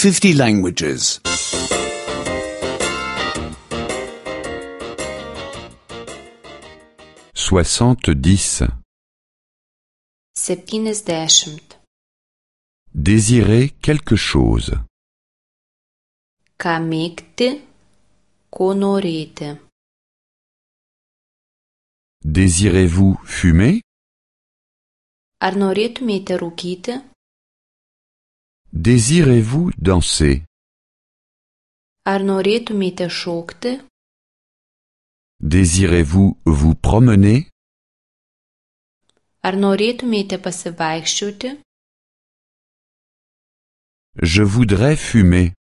50 languages. 70. 70. Désirer quelque chose. Ką mėgti, ko norėti. Désirez-vous fumer? Ar norėtumėte rūkyti? Désirez-vous danser? Ar norėtumėte šokti? Désirez-vous vous promener? Ar norėtumėte pasivaikščioti? Je voudrais fumer.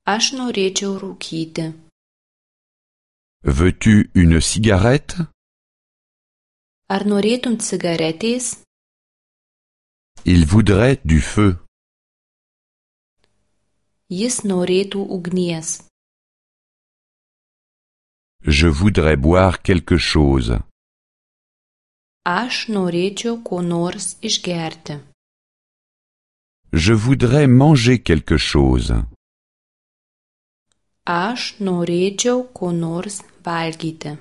Aš norėčiau rūkyti. Veux-tu une cigarette? Ar norėtum cigaretės? Il voudrait du feu. Jis norėtų ugnies. Je voudrais boire quelque chose. Aš norėčiau ko nors išgerti. Je voudrais manger quelque chose. Aš norėčiau ko nors valgyti.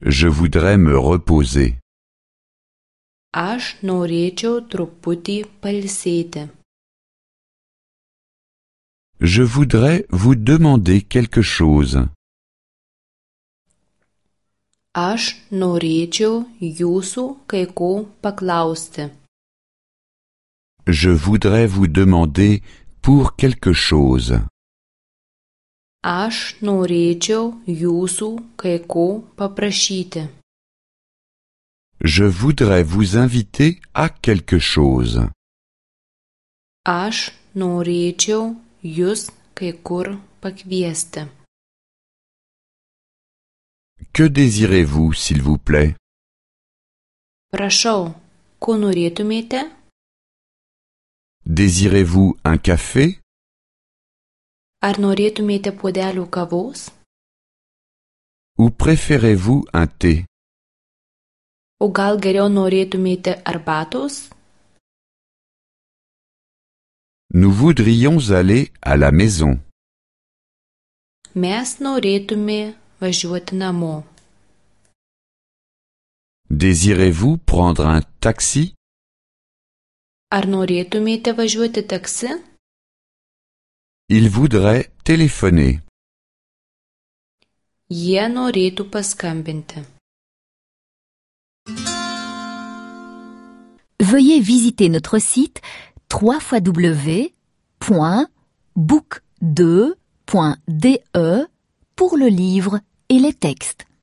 Je voudrais me reposer. Aš norėčiau truputį pailsėti. Je voudrais vous demander quelque chose. Aš norėčiau jūsų kai ko paklausti. Je voudrais vous demander pour quelque chose. Aš norėčiau jūsų kai ko paprašyti. Je voudrais vous inviter à quelque chose. Aš norėčiau jus kai kur pakviesti. Que désirez-vous, s'il vous plaît? Prašau, ko norėtumėte? Désirez-vous un café? Ar norėtumėte puodelių kavos? Ou préférez-vous un thé? O gal geriau norėtumėte arbatos? Nous voudrions aller à la maison. Mes norėtume važiuoti namo. Désirez-vous prendre un taxi? Ar norėtumėte važiuoti taksi? Il voudrait téléphoner. Jie norėtų paskambinti. Veuillez visiter notre site www.book2.de pour le livre et les textes.